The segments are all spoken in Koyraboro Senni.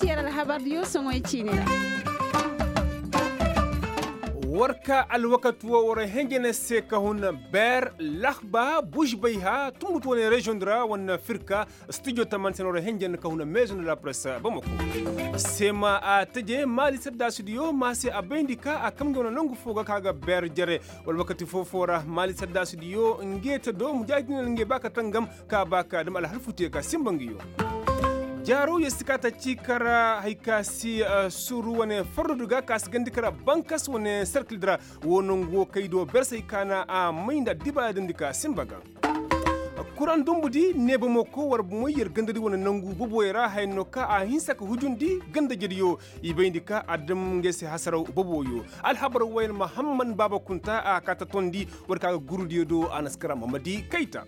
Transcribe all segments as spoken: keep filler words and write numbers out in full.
Yer alhabar diyo soŋoy ciini ra. War ka alwakati wo war henjene se ka hun ber lahba buš bayha tumbutu wane reziyoŋ di ra wane firka. Studio taman se no ra henjen ka huna meezu na la presse bamako. Seema a teje maali saddaasi diyo ma se a bayndi ka a kamndi wane nangu fo ga ka ga ber jere. Wala wakati foo-foo ra maali saddaasi diyo nge te do mujaahidin nge ba ka tangam ka ba ka dam alhalfu te ka simba ngi yo. Jaaro yer si ka ta ci kara hari ka si suru wane fardu ga ka si gandi kara bankas wane serkil di ra. Wo nangu wo kay do ber se hari ka na a may nda addiba ya damndi ka simba ga. Kuraŋ dumbu di neebamo ko war bomoy yer ganda di wane nangu boboyo ra haya no ka a hinsa ka hujundi ganda jediyo. I bayndi ka a dam ngey se hasaraw boboyo. Alhabar woyne mahamman baaba kunta a ka ta tondi. War ka ga gurudiyo do a na si kara mamadi kayta.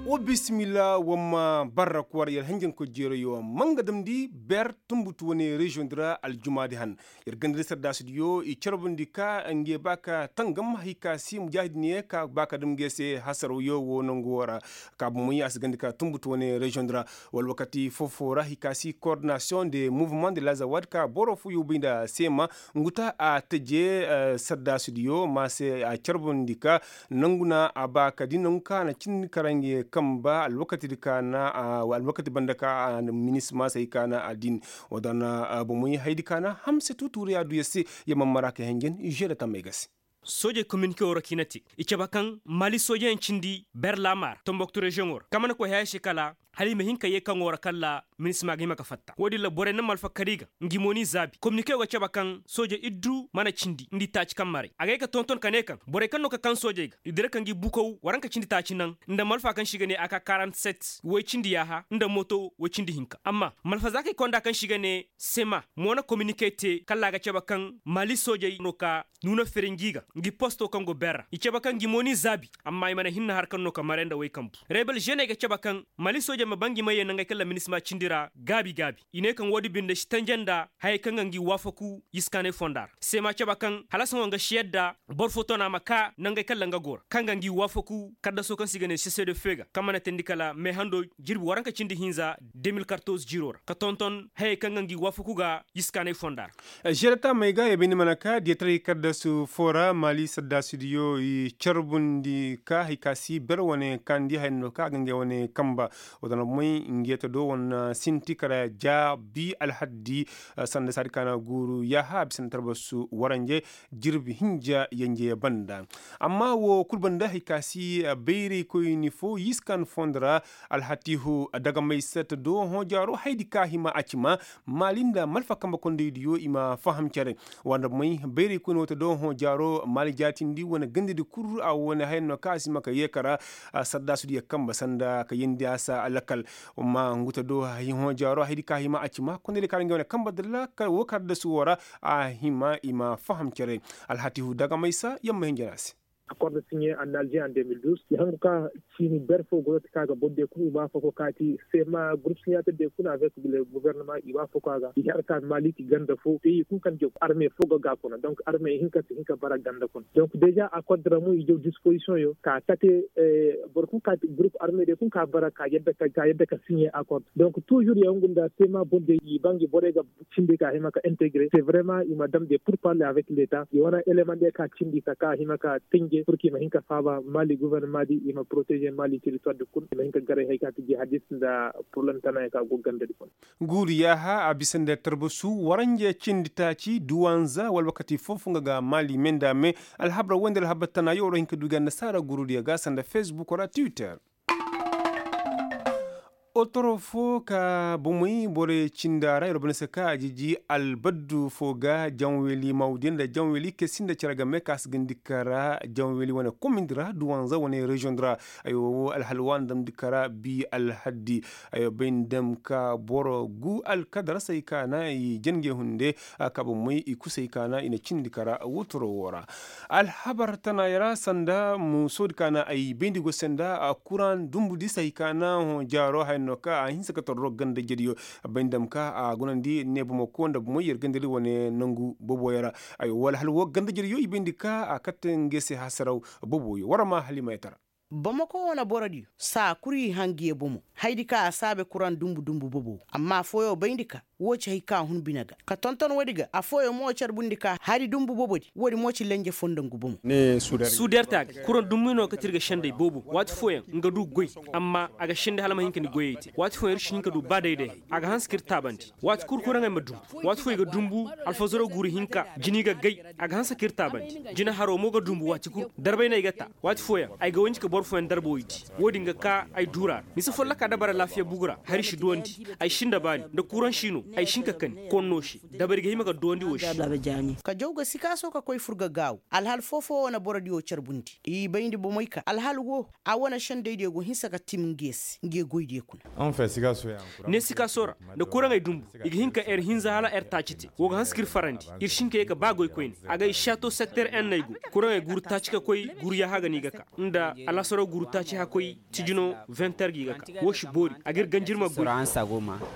Wa bisimilla wa ma barra kwar yer hanjankoy jeerayo ma nga damndi ber tumbutu wane reziyoŋ di ra aljumaadi han. Yer ganda di sardaasidiyo i carbundi ka nge ba ka tangam hari ka si mujaahidinye ka ba ka dam nge se hasaraw yo wo nangu wo ra. Ka bomoy a si ganda ka tumbutu wane reziyoŋ di ra. Wala wakati foo-foo ra hari ka si kordinasiyoŋ de muvement de lazawad ka boro fooyo bay nda seema ngu ta a teje. Sardaasidiyo ma se a carbundi ka nangu na a ba ka di nangu ka na cindi kara nge kamba alwakati di ka na alwakati banda ka a minisma se hari ka na a din. Wa da na bomoy haydi ka na hamse tuutuuriya du yer se. Yer ma mara ka henjen žere tammey ga se. Soojey kominike woo ra ka i na te i cabe kaŋ maali soojeyaŋ cindi ber laamaar tomboktu reziyoŋoo ra kaŋ mana koy haya se kala hala i ma hin ka yee kaŋoo ra kala minisma ga hima ka fatta woo din ra borey na malfa kar i ga. Ngi mo n'i zaabi kominike woo ga cabe kaŋ soojey iddu mana cindi nda i taaci kaŋ maray a ga ye ka tonton ka ne kaŋ borey kaŋ no ka kaŋ soojey ga i dira ka ngi bukow waranka cindi taaci naŋ nda malfa kaŋ se i ga ne a ka karant set woy cindi yaaha nda moto woy cindi hinka amma malfazaakey konda kaŋ se i ga ne sema mo na kominike te kala a ga cabe kaŋ maali soojey no ka nuuna firi ngi ga ngi posto kaŋ go ber ra i cabe kaŋ ngi mo n'i zaabi amma i mana hinna har kaŋ no ka maray nda woy kambu. Rebel ženey ga cabe kaŋ maali soojey ma ba ngi ma yee nangey kaŋ ra minisma cindi ra gaabi gaabi i ne kaŋ woodi binde si tanje nda hayey kaŋ ga ngi waafaku yiskaanay fonda ra seema cabe kaŋ hala sohõ nga si yadda boro fo tona ma ka nangey kaŋ ra nga go ra kaŋ ga ngi waafaku kaddaso kaŋ se i ga ne sese de fe ga kaŋ mana teendi kala meehando jirbi waranka cindi hinza de mil kartoz jiiro ra ka tonton hayey kaŋ ga ngi waafaku ga yiskaanay fonda ra. Žere taamey ga yer bay ni mana ka diyataray kaddasu foo ra maali saddaasidiyo i carbundi ka hari ka si ber wane kaŋ di haya no ka a ga ngey wane kamba. Woo da na may nge te do wane sinti kara ja bi alhaddi sanda saadi ka na guuru yaaha a bisa nda tarbasu waranje jirbi hinja yenje banda. Amma woo kul banda hari ka si bayraykoyni foo yiskan fondo ra alhatihu dagamaysa te do hõ jaaro haydi ka hima a ci ma maali nda malfa kambe kondaydiyo i ma faham cere. Wanda may bayraykoyni woo te do hõ jaaro maali jaatindi wane gandadi kul a wane haya no ka a si hima ka yee kara sardaasudiyo kambe sanda ka yeendi a se alakal. Amma ngu te do hõ jaaro haydi ka hima a ci ma kondaydiyo ka ra ngey wane kambe dalla woo kar da si woo ra a hima i ma faham cere. Alhatihu dagamaysa yer ma hin jana se. Akord siɲe en alger en deux mille douze i hangu ka ciini ber foo go no te ka ga boro diyo kul i ma foo go kaati sema gurup siɲater diyo kul avek le guvernema i ma foo go a ga i har ka maali ti ganda foo te i kul kaŋ jaw arme foo go ga kuna donk arme i hin ka si hin ka bara ganda kuna donk deja akord ra mo i jaw dispozisiyoŋ yo ka kate. Boro kul kaati gurup arme diyo kul ka bara ka yadda ka siɲe akord donk tuzur ya ngu nda sema boro diyo i ba ngi borey ga cindi ka hima ka integre se vrema i ma dam de pur parle avek leta i wane eleman de ka cindi ka ka hima ka tenje pur ka i ma hin ka faaba mali guvernema di i ma protege mali teritwar di kul i ma hin ka garay hari ka ti jihadis nda purlem tana ya ka go ganda di kul. Guuru yaaha a bisa nda tarbasu waranje cindi taaci duwanza wala wakati foo foo nga ga mali me nda me. Alhabar wande alhabar tana yo war hin ka du ga annasaara guuru diya ga sanda fesbuk ra twitter. Otoro foo ka bomey borey cinda ra yer ba ni se ka a jiji albaddu foo ga janweli mawdiya nda janweli kesi nda cere game ka si gandi kara janweli wane komindi ra duwanza wane reziyoŋ di ra. Aywa woo alhal waani damndi kara bi alhaddi. Aywa bay ni dam ka boro gu alkadara se ay ka na i jangey hunde. Ka bomey i kusay ka na i na cindi kara woo toro woo ra. Alhabar tanaayey ra sanda muusoodi ka na ay bayndi go senda kuraŋ dumbu di se hay ka na hõ jaaro haya no ka a hinsa ka torro ganda jediyo. Bayndi dam ka a gunandi ne bomoko nda bomey yer gandadi wane nangu boboyey ra. Ay wala hala woo ganda jediyo i bayndi ka a katte ngey se hasaraw boboyo war ma halimayey tara. Bamako wane borodiyo saa kul i hangiye bomo. Haydi ka a saabe kuraŋ dumbu dumbu bobo amma afooyaŋ bayndi ka woo ci hay ka hun bine ga ka tonton woodi ga afooyaŋ mo carbundi ka hari dumbu bobodi woodi mo ci lenje foo nda ngu bomo. Suuderta ga kuraŋ dumbu no kate ir ga sendey boobo waati fooyaŋ nga du goy. Amma a ga sendi hala ma hin ka ni goyey te waati fooyaŋ ir si hin ka du ba dayday hay. A ga hanse ka ir taabandi waati kul kuraŋey ma dumbu. Waati fooyaŋ i ga dumbu alfazaro guuru hinka jina i ga gay. A ga hanse ka ir taabandi jina haro mo ga dumbu waati kul darbay no ay ga taa. Waati fooyaŋ ay ga wanji ka boro fooyaŋ darba woy di. Woodin ga ka ay duura ra mise folloka dabara laafiya bugu ra hari si duwandi. Ay sinda baani nda kuraŋ si no ay si hin ka kani konno se. Dabari ga hima ka duwandi wo se. Ka jaw ga sikaaso ka koy fur ga gaawu alhal foo-foo wane borodiyo carbundi i bayndi bomey ka alhal woo. A wane sendaydiyo go hinsa ka tim nge se nge goydiyo kuna. Ne sikaaso ra nda kuraŋey dumbu i ga hin ka er hinza hala er taaci te. Woo ga hanse ka ir farandi ir si hin ka yee ka ba goy koyne. A ga i saato sekter en no ay go kuraŋey guuru taaci ka koy guuru yaaha ga no i ga ka nda alhasaro guuru taaci hakoy. Tijino venter ga i ga ka woo si boori a ga ir ganjirma goy.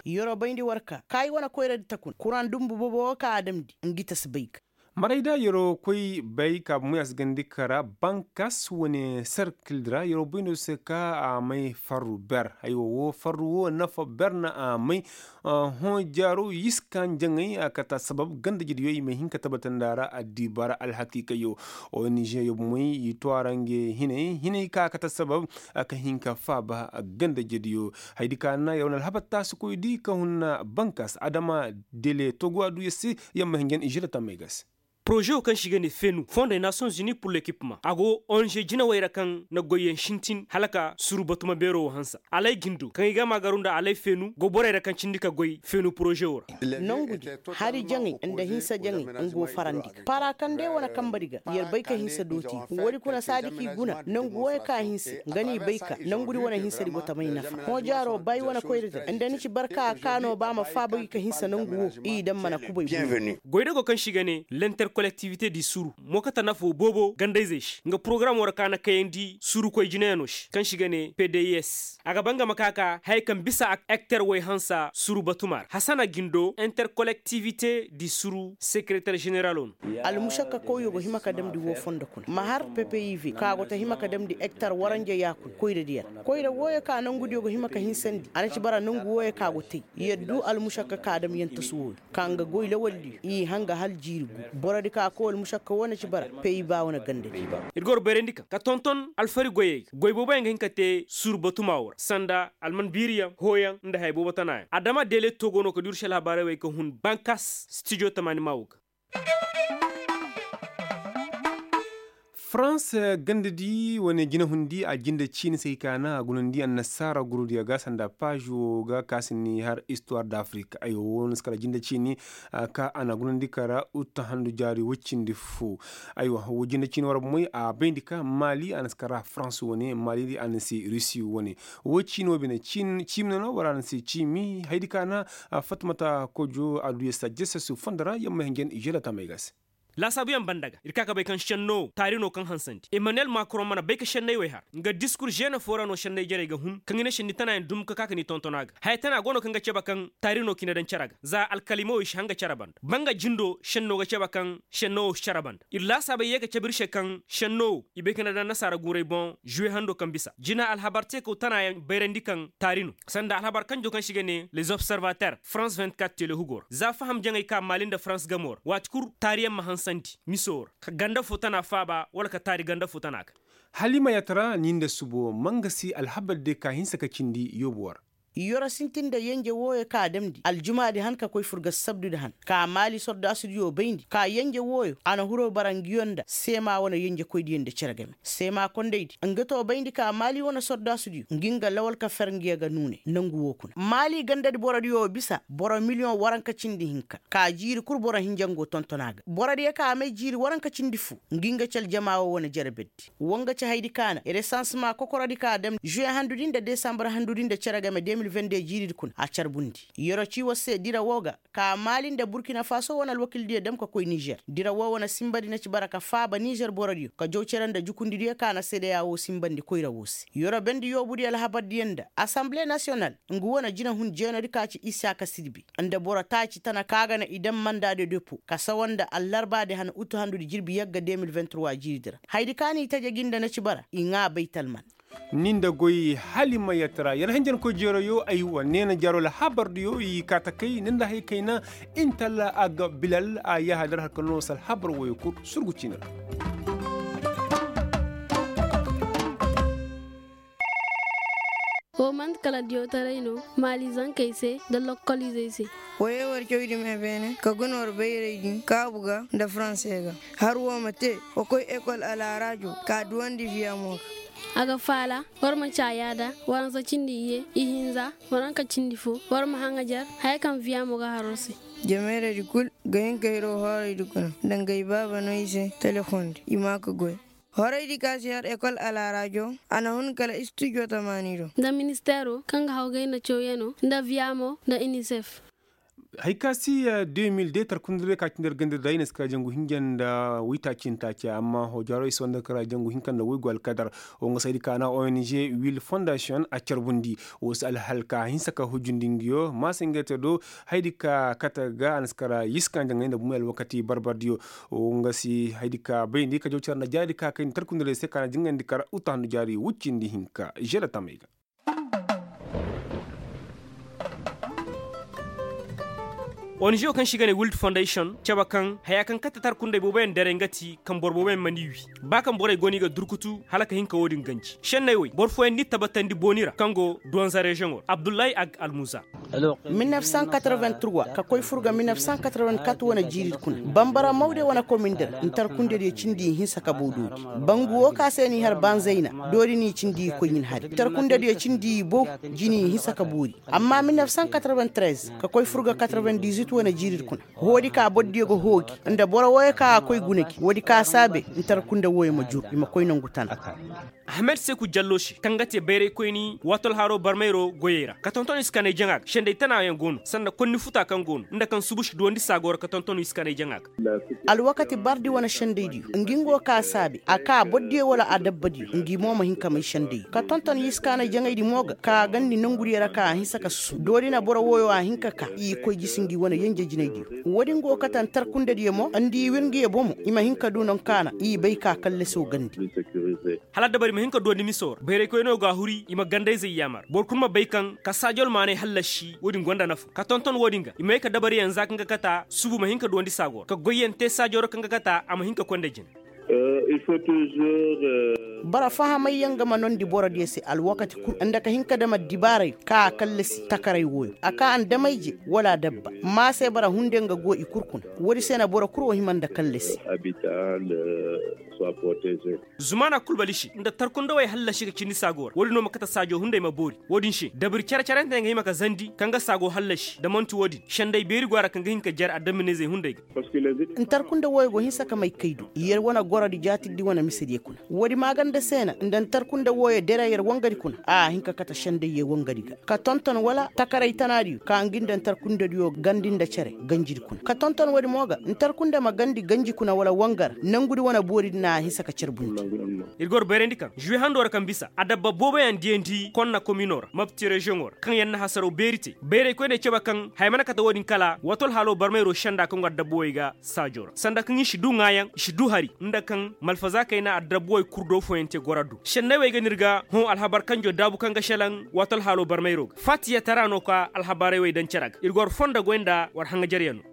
Yeroo bayndi war ka ka i wane koyradi ta kuna kuraŋ dumbu boobo woo ka a damndi ngi ta si bay ga. Marayda yeroo koy bay ka bomoy a si gandi kara bankas wane serkildi ra yeroo bayndo se ka a may farru ber. Aywa woo farru woo nafa ber na a may. Hõ jaaro yiskan jaŋay a kata sabab gandajediyo i ma hin ka tabbatandi a ra addiiba ra alhakiikayo. Onizeyo bomoy i too a ra nge hinay hinay ka kata sabab ka hin ka faaba. Gandajediyo haydi ka na yer wane alhabar taasikoydi ka hunna bankas adama dele togo a du yer se. Yer ma hin jen izira tammay ga se. Poroze wo kaŋ se i ga ne fenu fondey nations unis pur lekipma a go onze jinawey ra kaŋ na goyyaŋ sintin hala ka suru batuma beero wo hanse. Alay gindo kaŋ i ga maagaru nda alay fenu go borey ra kaŋ cindi ka goy fenu poroze wo ra. Nongu di hari jaŋay nda hinsa jaŋay nga go farandi ga para kaŋ day wane kamba di ga yer bay ka hinsa dooti. Woodi kuna saadi k'i guna nongu wooyo ka hinse nga n'i bay ka nongu di wane hinsa di go ta may nafa hõ jaaro ba i wane koyra di ra nda ni ci barka a kaano ba ma faaba gi ka hinsa nongu woo i daŋ mana kubay. Goydago kaŋ se i ga ne lenter kolektivite di suru mo kate nafo boobo gandayzey se nga porogaramo ra ka na kayandi surukoy jinayaŋo se kaŋ se i ga ne pds a ga ba nga ma ka ka haya kaŋ bisa ekter way hansa suru batuma ra hasana gindo enter kolektivite di suru sekereter ženeralo no. Almušakka kawyo go hima ka damndi woo fondo kuna ma har ppiv ka go ta hima ka damndi ekter waranja yaakul koyradiyo ra koyra wooyo ka nongudiyo go hima ka hinsandi a na ci bara nongu wooyo ka go tey. Yer du almušakka ka dam yantasu wooyo ka nga goy lawaldiyo i hanga hal jiiri gu borodi ka koy almušakka woo na ci bara pey ba wane gandadi. Ir ga war bayrandi kaŋ ka tonton alfari goyey ga goy booboyaŋ ga hin ka te suru batuma woo ra sanda alman biiriyaŋ hooyaŋ nda haya boobo tanaayaŋ adama deele togo no ka duru se alhabaarey wey ka hun bankas stijo tamaani maa woo ga. Farans gandadi wane jinahundi a jinde ciini se ka na a gunandi annasaara gurudiyo ga sanda paazi woo ga ka si ni har istuwar da afirika aywa woo na si kala jinde ciini. Ka a na gunandi kara uttahandu jaari woy cindi foo. Aywa woo jinde ciini war bomoy a bayndi ka maali a na si kara farans wane maali a na si rusi wane. Woo ciini woo bine ciimi no no war a na si ciimi haydi ka na. Fatmata kojo a du ya sajjese su fondo ra yamma hinjen želatamey ga se. Laasaabuyaŋ banda ga ir ka ka bay kaŋ šenno wo taari no kaŋ hansandi emmanuel macron mana bay ka šenney wey har nga diskur žene foo ra no šenney jarey ga hun kaŋ i ne šenni tanaayaŋ dum ka ka ka ni tonton a ga haya tana go no kaŋ ga cebe kaŋ taari no ka i na daŋ cere ga za alkalimawey si hanga cere banda ba nga jindo šenno ga cebe kaŋ šenno wo si cere banda ir laasaabey yee ka cebe ir se kaŋ šenno wo i bay ka na daŋ nasaara guurey boŋ žuwe hando kaŋ bisa jina alhabar teekaw tanaayaŋ bayrandi kaŋ taari no sanda alhabar kanjo kaŋ se i ga ne les observater france vingt-quatre telehugo ra za faham jaŋey ka maali nda france gamo ra waati kul taariyaŋ ma hansandi miso ra ka ganda fo tana faaba wala ka taari ganda fo tana ga. Halima yaatara ni nda subo mangasi alhabar de ka hinsa ka cindi yoobo ra. Yoro sintin nda yenje wooyo ka damndi aljumaadi han ka koy fur ga sabdudi han ka maali sordaasudiyo bayndi ka yenje wooyo a na hiro bara nguyo nda seema wane yenjekoydiyo nda cere game seema kondaydi nga to bayndi ka maali wane sordaasudiyo ngi nga lawal ka fer nguyo ga nuune nangu woo kuna maali gandadi borodiyo bisa boro miliyoŋ waranka cindi hinka ka jiiri kul boro hinja ngo tonton a ga borodiyo ka a may jiiri waranka cindi foo ngi nga ci aljama woo wane jere beddi woo nga ci haydi ka na resansema kokorodi ka a dam žuwe handudi nda desambar handudi nda cere game de mil vende jiiridi kuna a carbundi yero ci war se dira woo ga ka maali nda burkina faso wane alwakildiyo dam ka koy nizer dira woo wane simbadi na ci bara ka faaba nizer borodiyo ka jaw cere nda jukundidiyo ka na sedeya woo simbandi koyra woo se yero bendi yoobudiyo alhabardiyo nda asanble nasiyonal nga wane jinahun jeenodi ka ci isaka sirbi nda boro taaci tana ka ga na i dam manda de depo ka sawa nda allarbaadi han utu handudi jirbi yagga de mil vingt-trois jiiridi ra hayadi ka na i taje gi nda na ci bara i ŋaa baytalman. Ni nda goy halimayatara yar hanjankoy jeerayo aywa neena jaaro alhabardiyo i kaata kay ni nda hay kayna. Intalla a ga bilal a yahadar harka no sal habar woyo kul surgu ciina ra. Wo manti kala diyotaray no maali zankey se nda lokkolizey se. Woyey war cawdi me beene ka guna war bayray din kaabu ga nda faranse ga. Har wo ma te wa koy ekol alaaraajo ka duwandi viyamo ga. A ga faala war ma caayaada waransa cindi iyye ihinza waranka cindi fo. War ma haŋajar haya kaŋ viyamo ga har war se. Jameeraydi kul ga hin ka hiroo hooraydi kuna nda nga ibaaba no i se telefoŋ di i ma ka goy. Horaydi ka si har ekol alaaraajo a na hun kala istijo tamaani do. Nda ministeero kaŋ ga hawgay nda cawyanoo nda viyamo nda inisef. Hay ka si de mil de tarkundirey ka cindi yar ganda da i na si ka jangu hinja nda waytaaci nda taaci amma hojaaroy si wanda kara jangu hinka nda waygu alkadar. Wo nga saydi ka na ong wil fondasiyoŋ a carbundi. Wo si alhal ka hinsa ka hujjundi nga yo maasa nga te do. Haydi ka kate ga a na si kara yiska nda nga i nda bumey alwakati barbardiyo. Wo nga si haydi ka bayndi ka jaw care nda jaari ka kayndi tarkundirey se ka na jingandi kara uta handu jaari wuccindi hinka žela tamey ga. Onizeyo kaŋ se i ga ne wild fondayson cabe kaŋ haya kaŋ kate tarkundey booboyaŋ daray nga ti kaŋ boro booboyaŋ mana i wi. Ba kaŋ borey go no i ga durkutu hala ka hin ka wo-din ganji senney wey boro fooyaŋ n'i tabatandi booni ra kaŋ go donza reziyoŋo ra abdullahi ag almuza. Mil nef san katraven truwa ka koy fur ga mil nef san katraven kat wane jiiri kuna bambara mawde wane komin da ra ntarkundediyo cindi i hinsa ka bow doori. Bangu wo ka se n'i har banzayna doori n'i cindi i koy ɲin hari ntarkundediyo cindi i bow jini i hinsa ka boori. Amma mil nef san katraven trez ka koy fur ga katraven dizuit wane jiiri kuna. Hoodi ka bordiyo ga hoogi nda boro wooyo ka a koy guna gi woodi ka saabe ntarkunda wooyo ma jur i ma koy nangu tana. Ahmed seku jallo se kaŋ ga te bayraykoyni waatol haro barmayro goyey ra ka tonton i si kanay jaŋa ga senday tanaayaŋ go no sanda konni futa kaŋ go no nda kaŋ subu si duwandi saago ra ka tonton i si kanay jaŋa ga. Alwakati bardi wane sendaydiyo ngi ngo ka saabe a ka bordiyo wala adabbadiyo ngi mo ma hin ka may sendayyo ka tonton i si kanay jaŋaydi mo ga ka gandi nongudiyo ra ka a hinsa ka susu doori na boro wooyo a hin ka ka i koy jisi ngi wane yenje jinaydiyo. Woodin go kate ntarkundediyo mo nda i wir ngiyo bomo i ma hin ka du no kaana i bay ka kallasoo gandi. Hala dabari ma hin ka duwandi miso ra bayraykoyno ga a huri i ma gandayzey yaamar boro kul ma bay kaŋ ka saajol maanay hallasi woodin gonda nafa ka tonton woodin ga i ma ye ka dabariyaŋ za kaŋ ga kata subu ma hin ka duwandi saago ra ka goyyaŋ te saajo ra kaŋ ga kata a ma hin ka koy nda jine. Boro fahamayyaŋ ga ma nondi borodiyo se alwakati kul nda ka hin ka dam addibaaray ka a kallasi takaray wooyo a ka andamayje wala adabba maa se boro hunde nga go i kul kuna. Woodi se na boro kul wo hima nda kallasi. Zumaana kul balisi nda tarkundawey hallasi ga cindi saago ra woodin no ma kate saajo hunday ma boori. Woodin se dabari care-carante nga hima ka zandi kaŋ ga saago hallasi da man'ti woodin senday beeri go a ra kaŋ ga hin ka jar adamminayzey hunday ga. Ntarkunda wooyo go hinsa ka may kay do yer wane gorodi jaatirdi wane misediyo kuna. Woodi maaganda se na nda ntarkunda wooyo dere yer wangadi kuna a hin ka kate sendayyo wangadi ga ka tonton wala takaray tanaadiyo ka ngi nda ntarkundadiyo gandi nda cere ganjidi kuna ka tonton woodi mo ga ntarkunda ma gandi ganji kuna wala wangara nangudi wane booridi na a hinsa ka carbundi. Ir goro bayrandi kaŋ žuwe hando ra kaŋ bisa adabba booboyaŋ diyandi konna komino ra mapti reziyoŋo ra kaŋ yaŋ na hasaraw beeri te bayraykoyney cabe kaŋ haya mana kate woodin kala wato alhaalo barmayro senda kaŋ go adabba wey ga saajo ra sanda kaŋ i si du ŋaayaŋ i si du hari nda kaŋ malfaza kayna adabba wey kul do fooyaŋ te goro addu senney wey ga no ir ga hõ alhabar kanjo daabu kaŋ ga šelaŋ wato alhaalo barmayro ga fatiyatara no ka alhabarey wey daŋ cere ga ir go war fondo goy nda war haŋajaryaŋ no.